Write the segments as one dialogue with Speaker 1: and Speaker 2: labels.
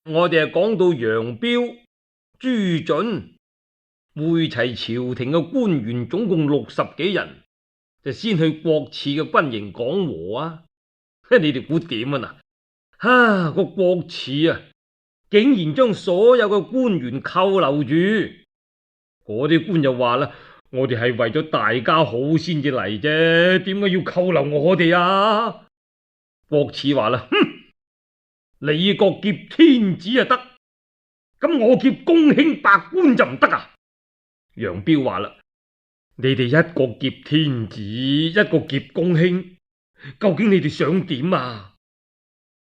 Speaker 1: 我哋係講到楊彪、朱准會齊朝廷嘅官員，總共60幾人，就先去郭汜嘅軍營講和啊！你哋估點啊？嗱，個郭汜啊，竟然將所有嘅官員扣留住。嗰啲官又話啦：我哋係為咗大家好先至嚟啫，點解要扣留我哋啊？郭汜話啦：哼，李國劫天子啊得，咁我劫公卿百官就唔得啊？楊彪話啦：你哋一個劫天子，一個劫公卿，究竟你哋想點啊？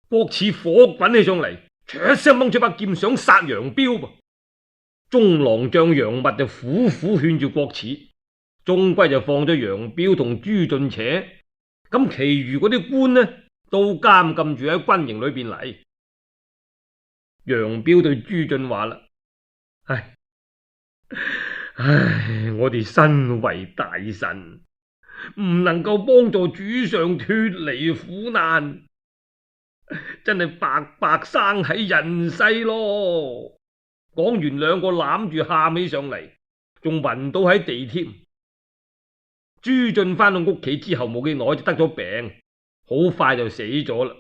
Speaker 1: 郭汜火滾起上嚟，唰一聲掹出把劍想殺楊彪噃。中郎將楊密就苦苦勸住郭汜，終歸就放咗楊彪同朱俊扯，咁其餘嗰啲官呢都監禁住喺軍營裏邊嚟。楊彪對朱俊話啦：唉，我哋身為大臣，唔能夠幫助主上脫離苦難，真係白白生喺人世咯。講完兩個攬住喊起上嚟，仲暈倒喺地添。朱俊翻到屋企之後冇幾耐就得咗病，好快就死咗啦。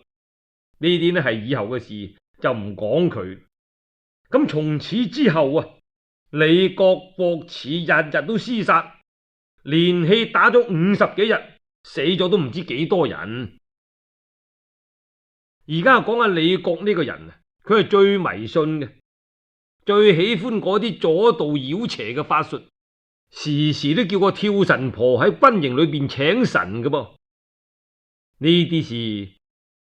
Speaker 1: 呢啲呢係以後嘅事，就唔講佢。咁從此之後啊，李國、郭汜日日都廝殺，連氣打咗50幾日，死咗都唔知幾多人。而家講下李國呢個人啊，佢係最迷信嘅，最喜歡嗰啲左道妖邪嘅法術，時時都叫個跳神婆喺軍營裏邊請神嘅噃。呢啲事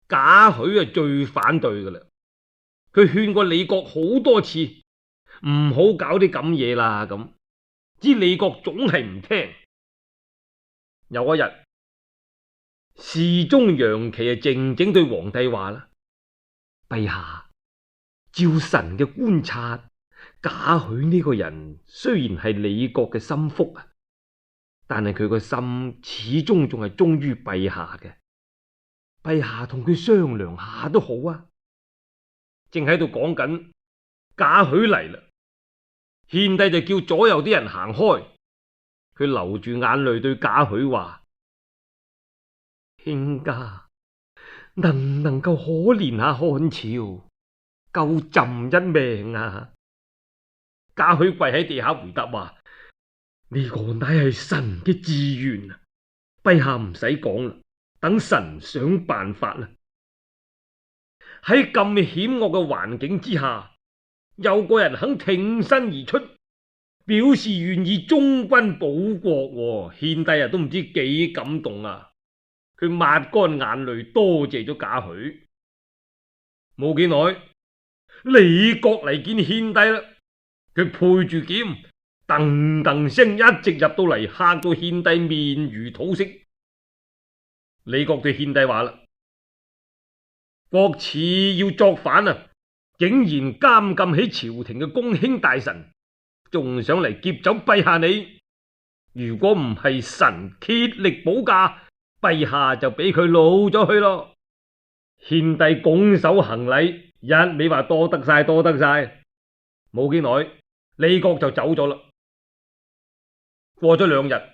Speaker 1: 賈詡係最反對噶啦，佢勸過李國好多次，唔好搞啲咁嘢啦，咁知李國總係唔聽。有一日，侍中楊岐係靜靜對皇帝話啦：陛下，照臣嘅觀察，賈詡呢個人雖然係李國嘅心腹啊，但係佢個心始終仲係忠於陛下嘅。陛下同佢商量下都好啊。正喺度講緊，賈詡嚟啦，獻帝就叫左右啲人行開。佢流住眼淚對賈詡話：卿家能唔能夠可憐下漢朝，救朕一命啊？賈詡跪喺地下回答話：呢個乃係神嘅志願啊，陛下唔使講啦，等神想辦法啦。喺咁險惡嘅環境之下，有個人肯挺身而出，表示願意忠君保國，獻帝啊都唔知幾感動啊！佢抹乾眼淚，多謝咗賈詡。冇幾耐，李國嚟見獻帝啦，佢配住劍，噔噔聲一直入到嚟，嚇到獻帝面如土色。李國對獻帝話啦：郭汜要作反啊，竟然監禁起朝廷嘅公卿大臣，仲想嚟劫走陛下你。如果唔係神竭力保駕，陛下就俾佢老咗去咯。獻帝拱手行禮，一味話多得晒，多得晒。冇幾耐，李國就走咗啦。過咗2日，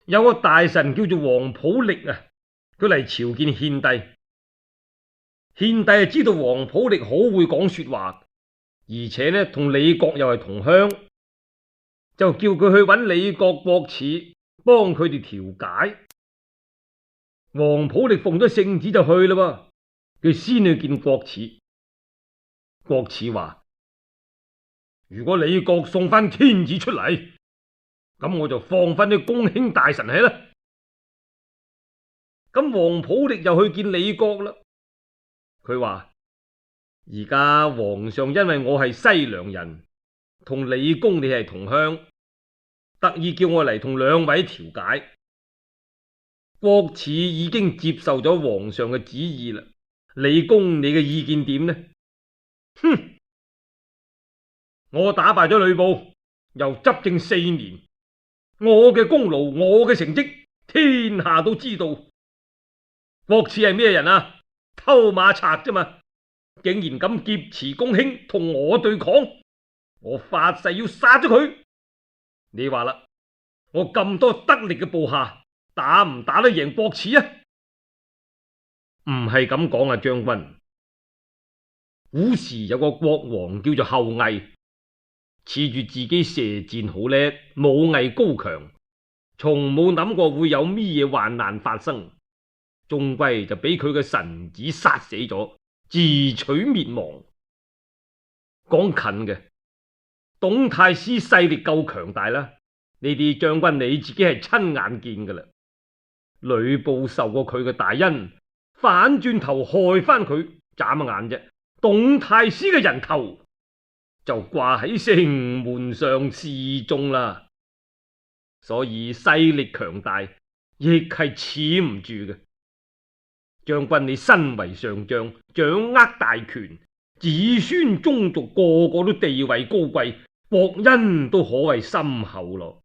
Speaker 1: 有個大臣叫做王普力啊，佢嚟朝見獻帝。獻帝係知道王普力好會講說話，而且呢同李國又係同鄉，就叫佢去揾李國、郭汜幫佢哋調解。王普力奉咗聖旨就去啦，佢先去見郭汜。郭汜話：如果李國送翻天子出嚟，咁我就放翻啲公卿大臣喺啦。咁王普力又去見李國啦。佢話：而家皇上因為我係西涼人，同李公你係同鄉，特意叫我嚟同兩位調解。郭汜已經接受咗皇上嘅旨意啦，李公你嘅意見點呢？哼！我打敗咗呂布，又執政4年，我嘅功勞，我嘅成績，天下都知道。郭汜係咩人啊？偷馬賊啫嘛，竟然敢劫持公卿同我對抗，我發誓要殺咗佢。你話啦，我咁多得力嘅部下，打唔打得贏國恥啊？唔係咁講啊，將軍。古時有個國王叫做后羿，恃住自己射箭好叻，武藝高強，從冇諗過會有咩嘢患難發生，終歸就俾佢嘅臣子殺死咗，自取滅亡。講近嘅，董太師勢力夠強大啦，呢啲將軍你自己係親眼見噶啦。呂布受過佢嘅大恩，反轉頭害翻佢，眨眼啫，董太師嘅人頭就掛喺城門上示眾啦。所以勢力強大，亦係恃唔住嘅。將軍你身為上將，掌握大權，子孫宗族個個都地位高貴，國恩都可謂深厚咯。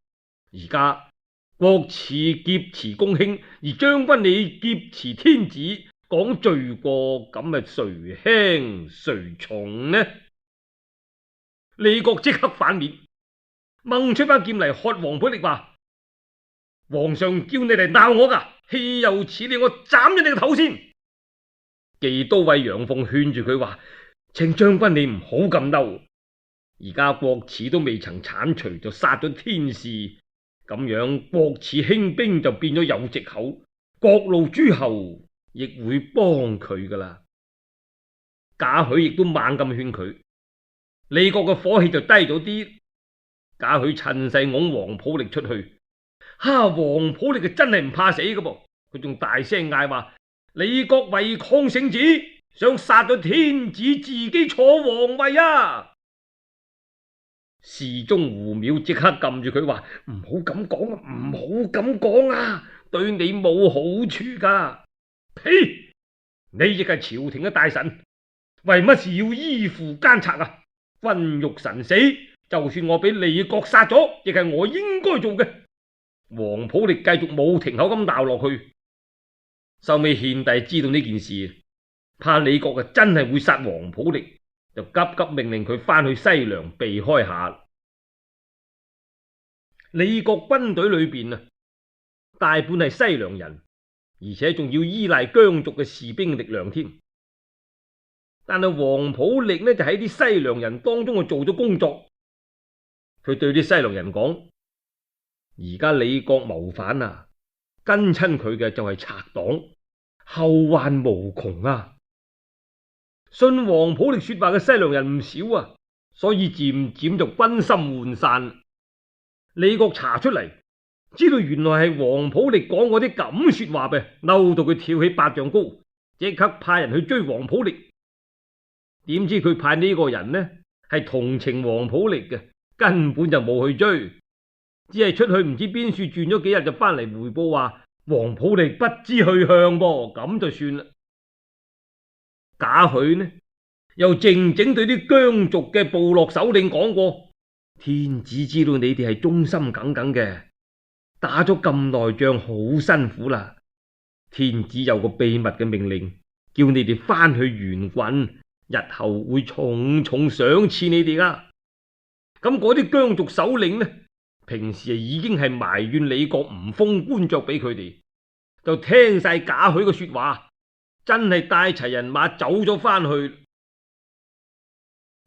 Speaker 1: 而家國恥劫持公卿，而將軍你劫持天子，講罪過，咁咪誰輕誰重呢？李國即刻反面，掹出把劍嚟喝王普力話：皇上叫你嚟鬧我噶，豈有此理！我斬咗你個頭先。技都尉楊鳳勸住佢話：請將軍你唔好咁嬲，而家國恥都未曾鏟除，就殺咗天士，咁樣國恥興兵就變咗有藉口，各路諸侯亦會幫佢噶啦。賈詡亦都猛咁勸佢，李國嘅火氣就低咗啲。賈詡趁勢拱王普力出去，王普力真係唔怕死噶噃，佢仲大聲嗌話：李國違抗聖旨，想殺咗天子，自己坐皇位啊！侍中胡淼即刻撳住佢話：唔好咁講啊，唔好咁講啊，對你冇好處噶。呸！你亦係朝廷嘅大臣，為乜事要依附奸賊啊？君欲臣死，就算我俾李國殺咗，亦係我應該做嘅。王普力繼續冇停口咁鬧落去。收尾獻帝知道呢件事，怕李國真係會殺王普力，就急急命令佢翻去西涼避開下。李國軍隊裏邊大半係西涼人，而且仲要依賴羌族嘅士兵力量添。但係王普力就喺啲西涼人當中做咗工作。佢對啲西涼人講：而家李國謀反啊，跟親佢嘅就係賊黨，後患無窮啊！信王普力說話嘅西涼人唔少啊，所以漸漸就軍心渙散。李國查出嚟，知道原來係王普力講嗰啲咁說話嘅，嬲到佢跳起8丈高，即刻派人去追王普力。點知佢派呢個人係同情王普力嘅，根本就冇去追，只係出去唔知邊處轉咗幾日就翻嚟回報話王普力不知去向噃，咁就算啦。賈詡又靜靜對啲羌族嘅部落首領講過：天子知道你哋係忠心耿耿嘅，打咗咁耐仗好辛苦啦，天子有個秘密嘅命令，叫你哋翻去援郡，日後會重重賞賜你哋噶。咁嗰啲羌族首領平時已經係埋怨李國唔封官爵俾佢哋，就聽晒賈詡嘅說話，真係帶齊人馬走咗翻去。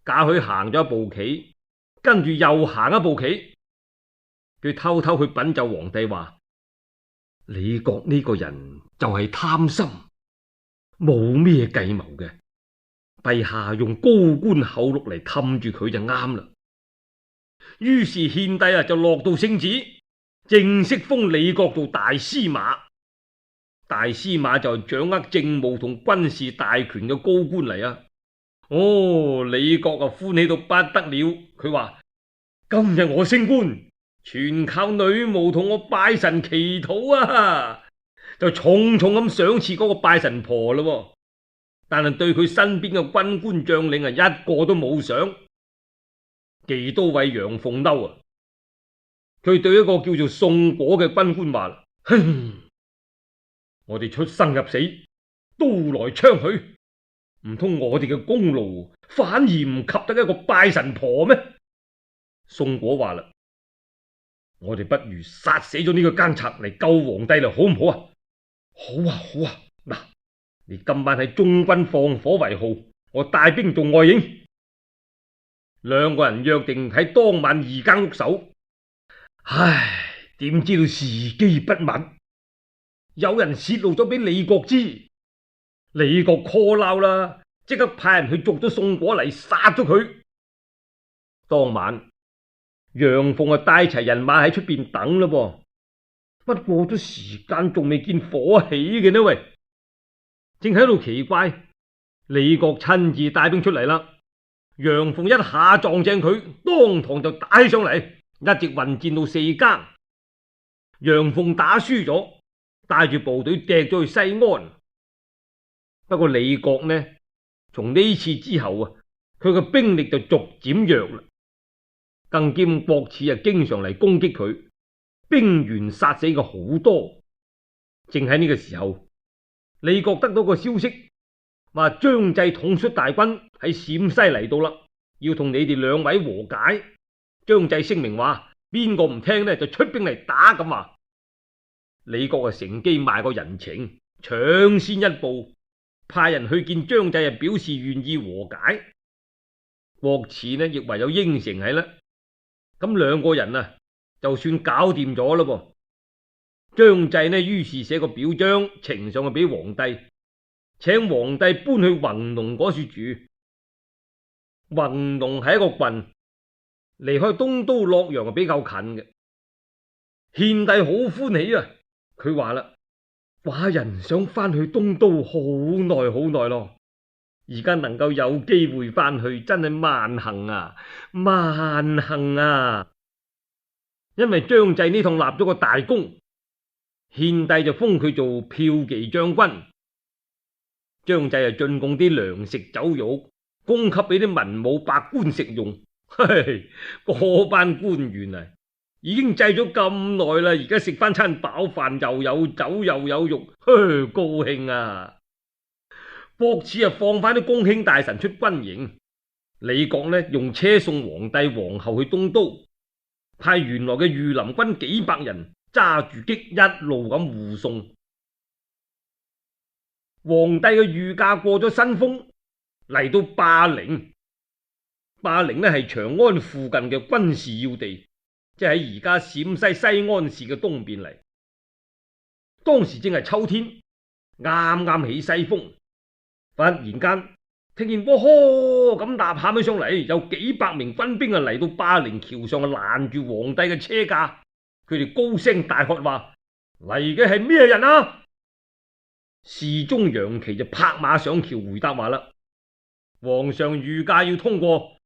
Speaker 1: 賈詡行咗一步棋，跟住又行一步棋，佢偷偷去稟奏皇帝話：李國呢個人就係貪心，冇咩計謀嘅，陛下用高官厚祿嚟氹住佢就啱啦。於是獻帝就落到聖旨，正式封李國做大司馬。大司馬就係掌握政務同軍事大權嘅高官嚟啊！李國歡喜到不得了，佢話：今日我升官，全靠女巫同我拜神祈禱啊！就重重咁賞賜嗰個拜神婆咯。但係對佢身邊嘅軍官將領一個都冇賞。技都尉楊鳳嬲啊！佢對一個叫做宋果嘅軍官話：哼，我哋出生入死，刀來槍去，唔通我哋嘅功勞反而唔及得一個拜神婆咩？宋果話啦，我哋不如殺死咗呢個奸賊嚟救皇帝啦，好唔好啊？好啊，好啊。嗱，你今晚喺中軍放火為號，我帶兵做外應。兩個人約定喺當晚2間屋守。唉，點知道時機不密，有人泄露咗俾李國知，李國 call 鬧啦，即刻派人去捉咗宋果嚟殺咗佢。當晚楊鳳啊帶齊人馬喺出邊等啦噃，不過咗時間仲未見火起嘅呢喂，正喺度奇怪，李國親自帶兵出嚟啦。楊鳳一下撞正佢，當堂就打起上嚟，一直混戰到4更。楊鳳打輸咗，帶住部隊趯咗去西安。不過李國呢，從呢次之後啊，佢嘅兵力就逐漸弱啦，更兼郭汜啊經常嚟攻擊佢，兵員殺死嘅好多。正喺呢個時候，李國得到個消息，話張濟統率大軍喺陝西嚟到啦，要同你哋2位和解。張濟聲明話，邊個唔聽呢就出兵嚟打咁話。李國啊乘機賣個人情，搶先一步，派人去見張濟啊，表示願意和解。郭汜呢亦唯有應承係啦。咁2個人啊就算搞掂咗啦噃。張濟呢於是寫個表彰呈上去俾皇帝，請皇帝搬去弘農嗰處住。弘農係一個郡，離開東都洛陽比較近嘅。獻帝好歡喜啊，佢話啦，寡人想翻去東都好耐好耐咯，而家能夠有機會翻去，真係萬幸啊，萬幸啊！因為張濟呢趟立咗個大功，獻帝就封佢做驃騎將軍。張濟啊進貢啲糧食酒肉，供給俾啲文武百官食用。嗰班官員啊，已經制咗咁耐啦，而家食翻餐飽飯，又有酒又有肉，高興啊！郭汜啊放翻啲公卿大臣出軍營，李國呢用車送皇帝皇后去東都，派原來嘅御林軍幾百人揸住戟一路咁護送。皇帝嘅御駕過咗新豐，嚟到霸陵。霸陵呢係長安附近嘅軍事要地，即係喺而家陝西西安市嘅東邊嚟。當時正係秋天，啱啱起西風，忽然間聽見嗚呵咁吶喊起上嚟，有幾百名軍兵啊嚟到霸陵橋上啊攔住皇帝嘅車駕，佢哋高聲大喝話：嚟嘅係咩人啊？侍中楊岐就拍馬上橋回答話啦：皇上御駕要通過，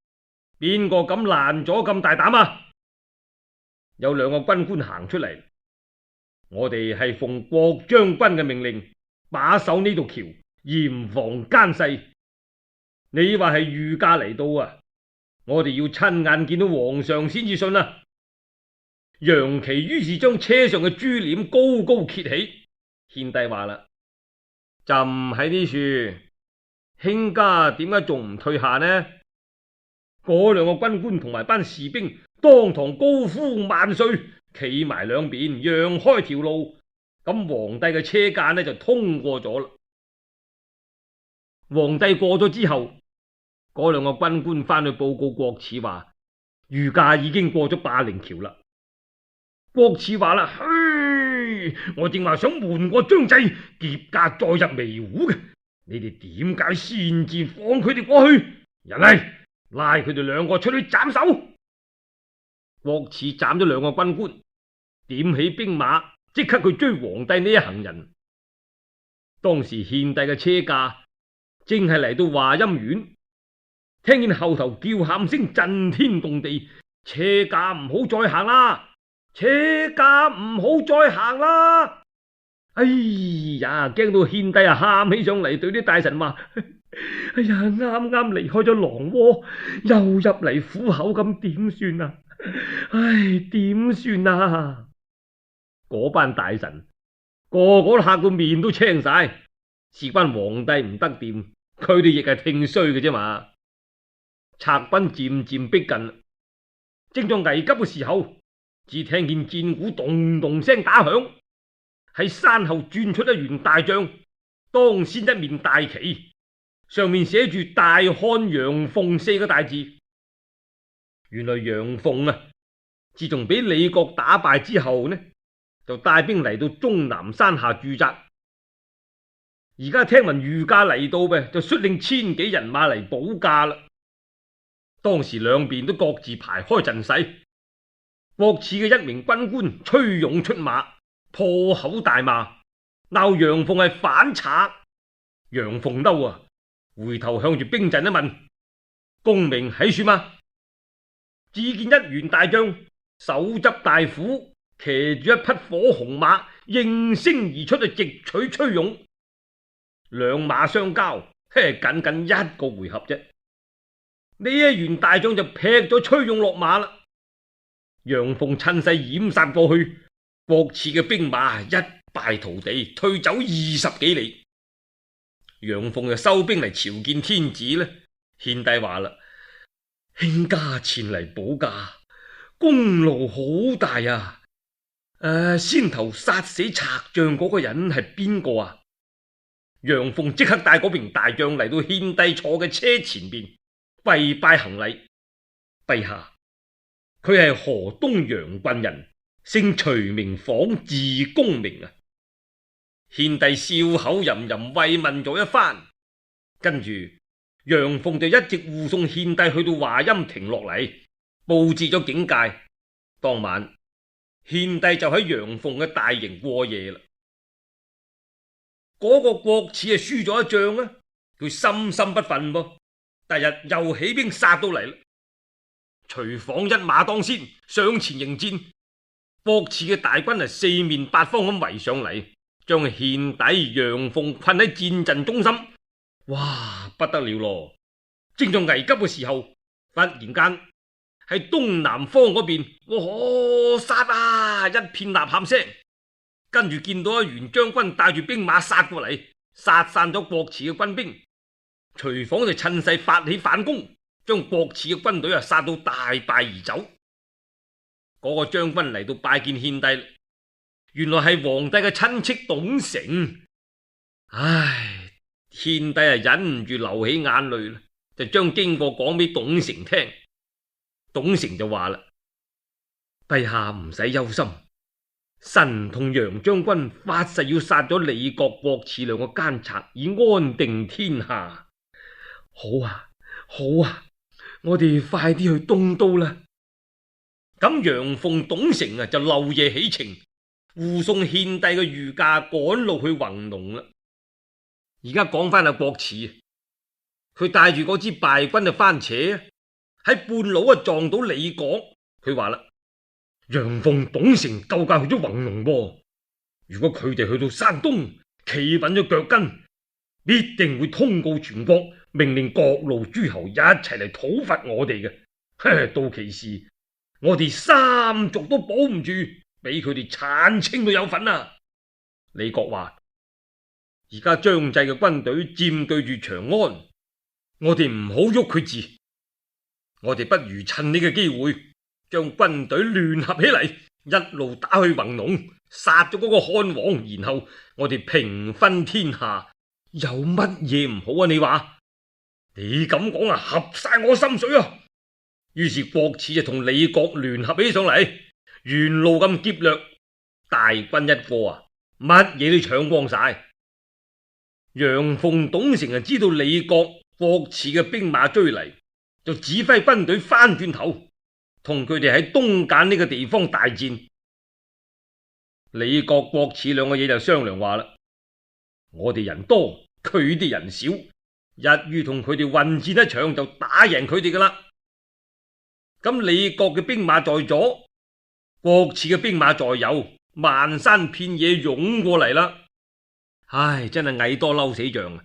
Speaker 1: 邊個敢攔咗咁大膽啊？有2個軍官行出嚟，我哋係奉郭將軍嘅命令把守呢度橋，嚴防奸細。你話係御駕嚟到啊，我哋要親眼見到皇上先至信啊！楊岐於是將車上嘅珠簾高高揭起。獻帝話啦：朕喺呢處，卿家點解仲唔退下呢？嗰2個軍官同埋班士兵當堂高呼萬歲，企埋兩邊讓開條路，咁皇帝嘅車駕呢就通過咗啦。皇帝過咗之後，嗰2個軍官翻去報告郭汜話：御駕已經過咗霸陵橋啦。郭汜話啦：我正話想瞞過張濟，劫駕再入微戶嘅，你哋點解擅自放佢哋過去？人嚟，拉佢哋2個出去斬首。郭汜斬咗2個軍官，點起兵馬，即刻去追皇帝呢一行人。當時獻帝嘅車駕正係嚟到華陰縣，聽見後頭叫喊聲震天動地，車駕唔好再行啦！車駕唔好再行啦！哎呀，驚到獻帝啊喊起上嚟，對啲大臣話：哎呀，啱啱離開咗狼窩，又入嚟虎口，咁點算啊？唉，點算啊？嗰班大臣個個嚇到面都青晒，事關皇帝唔得掂，佢哋亦係聽衰嘅啫嘛。賊軍漸漸逼近，正在危急嘅時候，只聽見戰鼓咚咚聲打響，喺山後轉出一員大將，當先一面大旗，上面寫住大漢楊鳳四個大字。原來楊鳳啊，自從俾李國打敗之後呢，就帶兵嚟到終南山下駐紮。而家聽聞御駕嚟到嘅，就率領千幾人馬嚟保駕啦。當時兩邊都各自排開陣勢，國賜嘅一名軍官崔勇出馬，破口大罵，鬧楊鳳係反賊。楊鳳嬲啊，回頭向住兵陣一問：功名喺處嗎？只見一員大將手執大斧，騎住一匹火紅馬，應聲而出，就直取崔勇。兩馬相交，僅僅一個回合啫。呢一員大將就劈咗崔勇落馬啦。楊鳳趁勢掩殺過去，國賜嘅兵馬一敗塗地，退走20幾里。楊鳳就收兵嚟朝見天子呢。獻帝話啦：卿家前嚟保駕，功勞好大啊！先頭殺死賊將嗰個人係邊個啊？楊鳳即刻帶嗰名大將嚟到獻帝坐嘅車前邊，跪拜行禮。陛下，佢係河東楊郡人，姓徐名晃，字公明啊。獻帝笑口吟吟慰問咗一番，跟住楊鳳就一直護送獻帝去到華陰亭落嚟，布置咗警戒。當晚獻帝就喺楊鳳嘅大營過夜啦。嗰個國賜輸咗一仗啊，佢心心不忿噃，第日又起兵殺到嚟啦。徐晃一馬當先上前迎戰，國賜嘅大軍四面八方咁圍上嚟，將獻帝楊鳳困喺戰陣中心。哇，不得了咯！正在危急嘅時候，忽然間喺東南方嗰邊，我殺啊！一片吶喊聲。跟住見到一員將軍帶住兵馬殺過嚟，殺散咗國賜嘅軍兵。徐晃就趁勢發起反攻，將國賜嘅軍隊殺到大敗而走。嗰個將軍嚟到拜見獻帝，原來係皇帝嘅親戚董承。唉，獻帝忍唔住流起眼淚啦，就將經過講俾董承聽。董承就話啦：陛下唔使憂心。臣同楊將軍發誓要殺咗李國、國賜兩個奸賊，以安定天下。好啊，好啊，我哋快啲去東都啦。咁楊鳳、董承就漏夜起程，護送獻帝嘅御駕趕路去弘農啦。而家講翻阿國賜，佢帶住嗰支敗軍就翻扯，喺半路撞到李國。佢話啦：楊鳳、董承救駕去咗弘農喎，如果佢哋去到山東企穩咗腳跟，必定會通告全國，命令各路諸侯一齊嚟討伐我哋嘅。到其時，我哋三族都保唔住，俾佢哋鏟清都有份啊！李國話：而家張濟嘅軍隊佔據住長安，我哋唔好喐佢字，我哋不如趁呢個機會，將軍隊聯合起嚟，一路打去弘農，殺咗嗰個漢王，然後我哋平分天下，有乜嘢唔好啊？你話？你咁講啊，合晒我心水啊！於是國賜就同李國聯合起上嚟，沿路咁劫掠，大軍一過啊，乜嘢都搶光晒。楊鳳、董承就知道李國、國賜嘅兵馬追嚟，就指揮軍隊翻轉頭，同佢哋喺東澗呢個地方大戰。李國、國賜兩個嘢就商量話啦：我哋人多，佢哋人少，一於同佢哋混戰一場，就打贏佢哋噶啦。咁李國嘅兵馬在左，國賜嘅兵馬在右，漫山遍野湧過嚟啦。唉，真係蟻多嬲死象啊！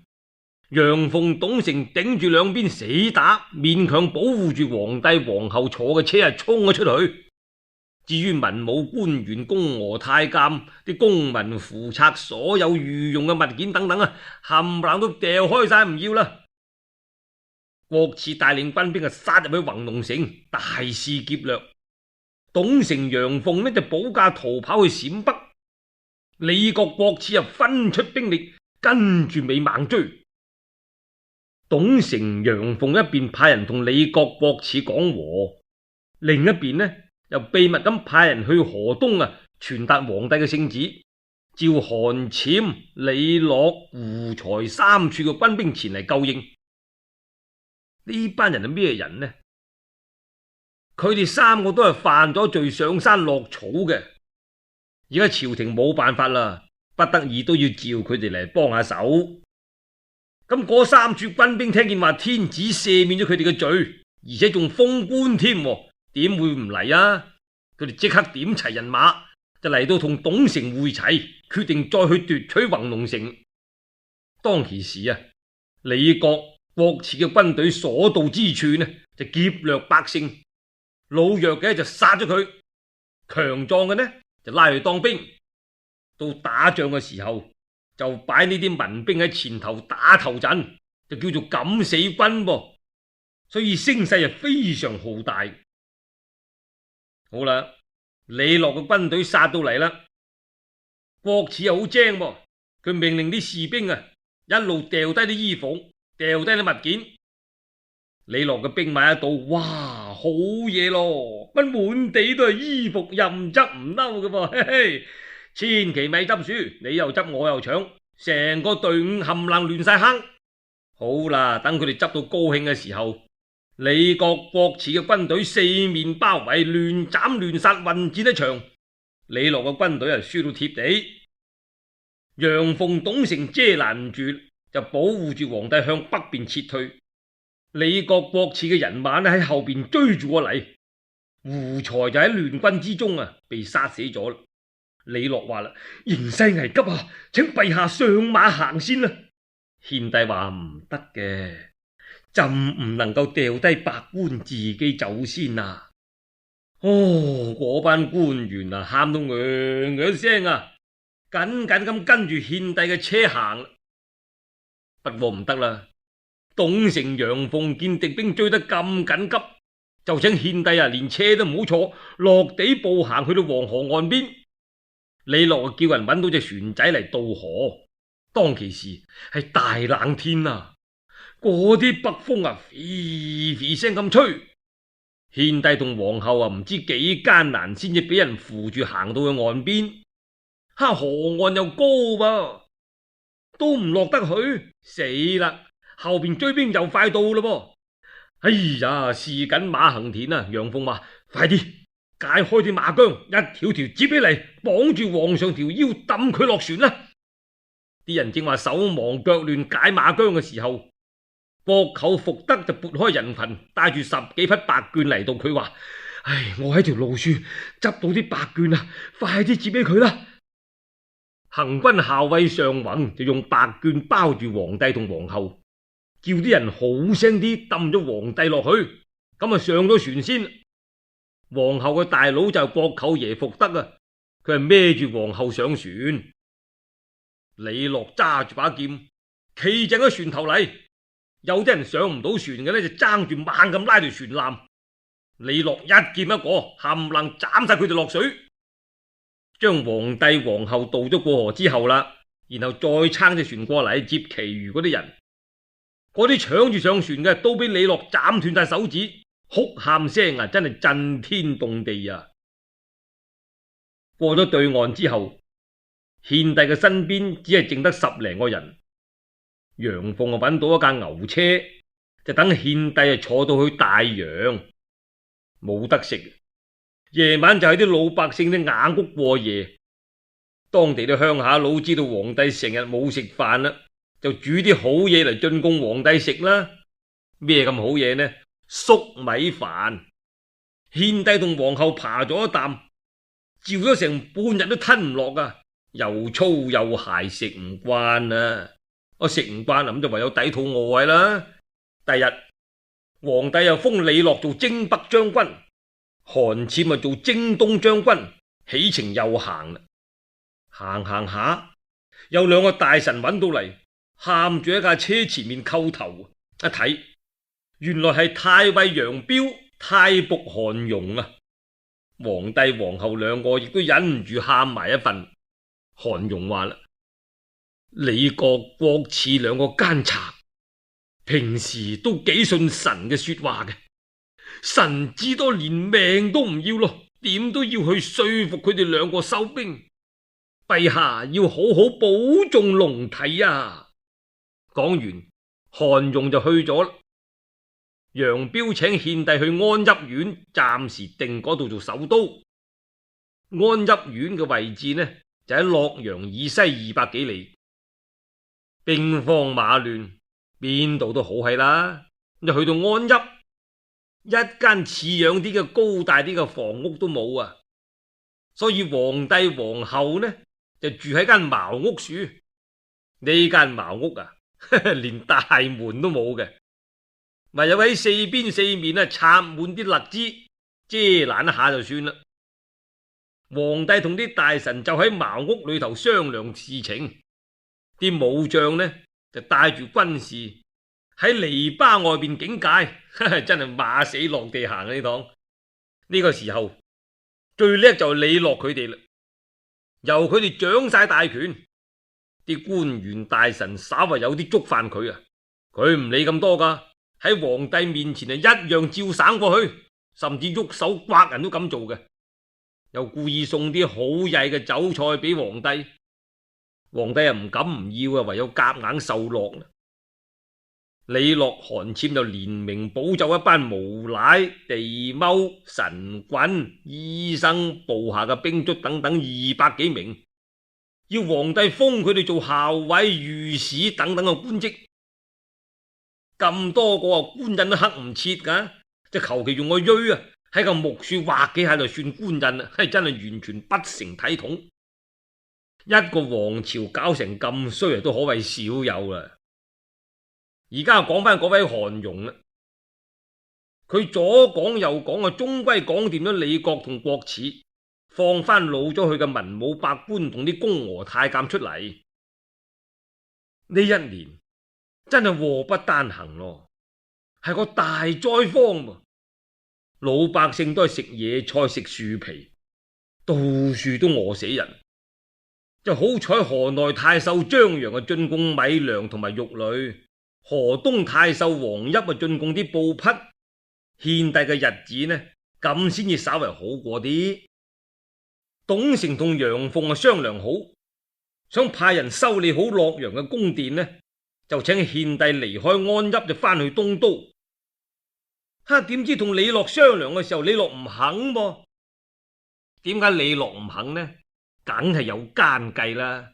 Speaker 1: 楊鳳、董承頂住兩邊死打，勉強保護住皇帝皇后坐嘅車衝咗出去。至於文武官員、宮娥太監、啲公文符冊、所有御用嘅物件等等啊，冚唪唥都掉開晒唔要啦，郭汜帶領軍兵殺入去弘農城，大肆劫掠。董承、楊鳳呢就保駕逃跑去陝北。李傕、郭汜分出兵力跟住尾猛追。董承、楊鳳一邊派人同李傕、郭汜講和，另一邊呢又秘密咁派人去河東傳達皇帝嘅聖旨，召韓潛、李樂、胡才三處嘅軍兵前嚟救應。呢班人係咩人呢？佢哋三個都係犯咗罪上山落草嘅，而家朝廷冇辦法啦，不得已都要召佢哋嚟幫下手。咁嗰三處軍兵聽見話天子赦免咗佢哋嘅罪，而且仲封官添，點會唔嚟啊？佢哋即刻點齊人馬就嚟到同董承會齊，決定再去奪取弘農城。當其時李傕、郭汜嘅軍隊所到之處呢，就劫掠百姓，老弱嘅就殺咗佢，強壯嘅呢就拉去當兵。到打仗嘅時候，就擺呢啲民兵喺前頭打頭陣，就叫做敢死軍噃。所以聲勢非常浩大。好啦，李樂嘅軍隊殺到嚟啦，郭汜又好精噃，佢命令啲士兵一路掉低啲衣服，掉低啲物件。李樂嘅兵馬一到，哇，好嘢咯，乜滿地都係衣服，任執唔嬲嘅噃，嘿嘿，千祈咪執輸，你又執我又搶，成個隊伍冚唪唥亂晒坑。好啦，等佢哋執到高興嘅時候，李傕、郭汜嘅軍隊四面包圍，亂斬亂殺，混戰一場。李樂嘅軍隊輸到貼地，楊鳳、董承遮攔唔住，就保護住皇帝向北邊撤退。李傕、郭汜嘅人馬喺後邊追住過嚟，胡才就喺亂軍之中被殺死咗。李樂話啦：形勢危急請陛下上馬行先啦。獻帝話唔得嘅，朕唔能夠掉低百官自己走先啊。嗰班官員喊到聲緊緊咁跟住獻帝嘅車行。不過唔得啦，董承、楊鳳見敵兵追得咁緊急，就請獻帝連車都唔好坐，落地步行去到黃河岸邊。李樂叫人揾到隻船仔嚟渡河。當其時係大冷天嗰啲北風飛飛聲咁吹，獻帝同皇后唔知幾艱難先至俾人扶住行到去岸邊。河岸又高噃，都唔落得去，死啦！後邊追兵又快到啦噃。哎呀，是緊馬行田楊鳳話：快啲解開啲馬韁，一條條接起嚟，綁住皇上條腰，抌佢落船啦！啲人正話手忙腳亂解馬韁嘅時候，國舅福德就撥開人群，帶住10幾匹白絹嚟到。佢話：我喺條路樹執到啲白絹快啲接俾佢啦！行軍校尉尚宏就用白絹包住皇帝同皇后，叫啲人好聲啲抌咗皇帝落去，咁上咗船先。皇后嘅大佬就係國舅爺福德佢係孭住皇后上船。李樂揸住把劍，企正喺船頭嚟。有啲人上唔到船嘅呢，就爭住猛咁拉條船纜。李樂一劍一個，冚唪唥斬晒佢哋落水，將皇帝皇后渡咗過河之後啦，然後再撐隻船過嚟接其餘嗰啲人。嗰啲搶住上船嘅都俾李樂斬斷晒手指，哭喊聲真係震天動地啊！過咗對岸之後，獻帝嘅身邊只係剩得10零個人。楊鳳揾到一架牛車，就等獻帝坐到去大洋，冇得食。夜晚就喺啲老百姓啲雅屋過夜。當地啲鄉下佬知道皇帝成日冇食飯啦，就煮啲好嘢嚟進貢皇帝食啦。咩咁好嘢呢？粟米飯。獻帝同皇后扒咗一啖，嚼咗成半日都吞唔落又粗又鹹，食唔慣我食唔慣咁就唯有抵肚餓啦。第日皇帝又封李樂做征北將軍，韓潛做征東將軍，起程又行啦。行下，有2個大臣揾到嚟，喊住喺架車前面叩頭。一睇原來係太尉楊彪、太僕韓容啊！皇帝皇后兩個亦都忍唔住喊埋一份。韓容話啦：李國、郭賜兩個奸賊，平時都幾信臣嘅說話嘅，臣至多連命都唔要咯，點都要去說服佢哋兩個收兵。陛下要好好保重龍體啊！講完，韓容就去咗啦。楊彪請獻帝去安邑縣，暫時定嗰度做首都。安邑縣嘅位置呢，就喺洛陽以西200幾里。兵荒馬亂，邊度都好係啦。就去到安邑，一間似樣啲嘅高大啲嘅房屋都冇啊！所以皇帝皇后呢，就住喺間茅屋處。呢間茅屋啊，連大門都冇嘅，咪有喺四邊四面啊插滿啲荔枝遮攔一下就算啦。皇帝同啲大臣就喺茅屋裏頭商量事情，啲武將呢就帶住軍士喺籬笆外邊警戒，真係馬死落地行呢趟。呢個時候最叻就係李樂佢哋啦，由佢哋掌晒大權，啲官員大臣稍為有啲觸犯佢啊，佢唔理咁多噶，喺皇帝面前啊一樣照省過去，甚至喐手刮人都咁做嘅。又故意送啲好曳嘅酒菜俾皇帝，皇帝又唔敢唔要啊，唯有夾硬受落啦。李樂、韓簽就連名保奏一班無賴、地踎、神棍、醫生、部下嘅兵卒等等200幾名，要皇帝封佢哋做校尉、御史等等嘅官職。咁多個官印都刻唔切噶，就求其用個錐啊喺個木樹畫幾下就算官印啦，係真係完全不成體統。一個王朝搞成咁衰啊，都可謂少有啦。而家講翻嗰位韓容啦，佢左講右講啊，終歸講掂咗李國同郭賜，放翻老咗去嘅文武百官同啲宮娥太監出嚟。呢一年真係禍不單行咯，係個大災荒噃。老百姓都係食野菜食樹皮，到處都餓死人。就好彩河內太守張揚啊進貢米糧同埋肉類，河東太守王邑啊進貢啲布匹，獻帝嘅日子呢咁先至稍為好過啲。董承同楊鳳啊商量好，想派人修理好洛陽嘅宮殿呢，就請獻帝離開安邑就翻去東都。點知同李樂商量嘅時候，李樂唔肯噃。點解李樂唔肯呢？梗係有奸計啦。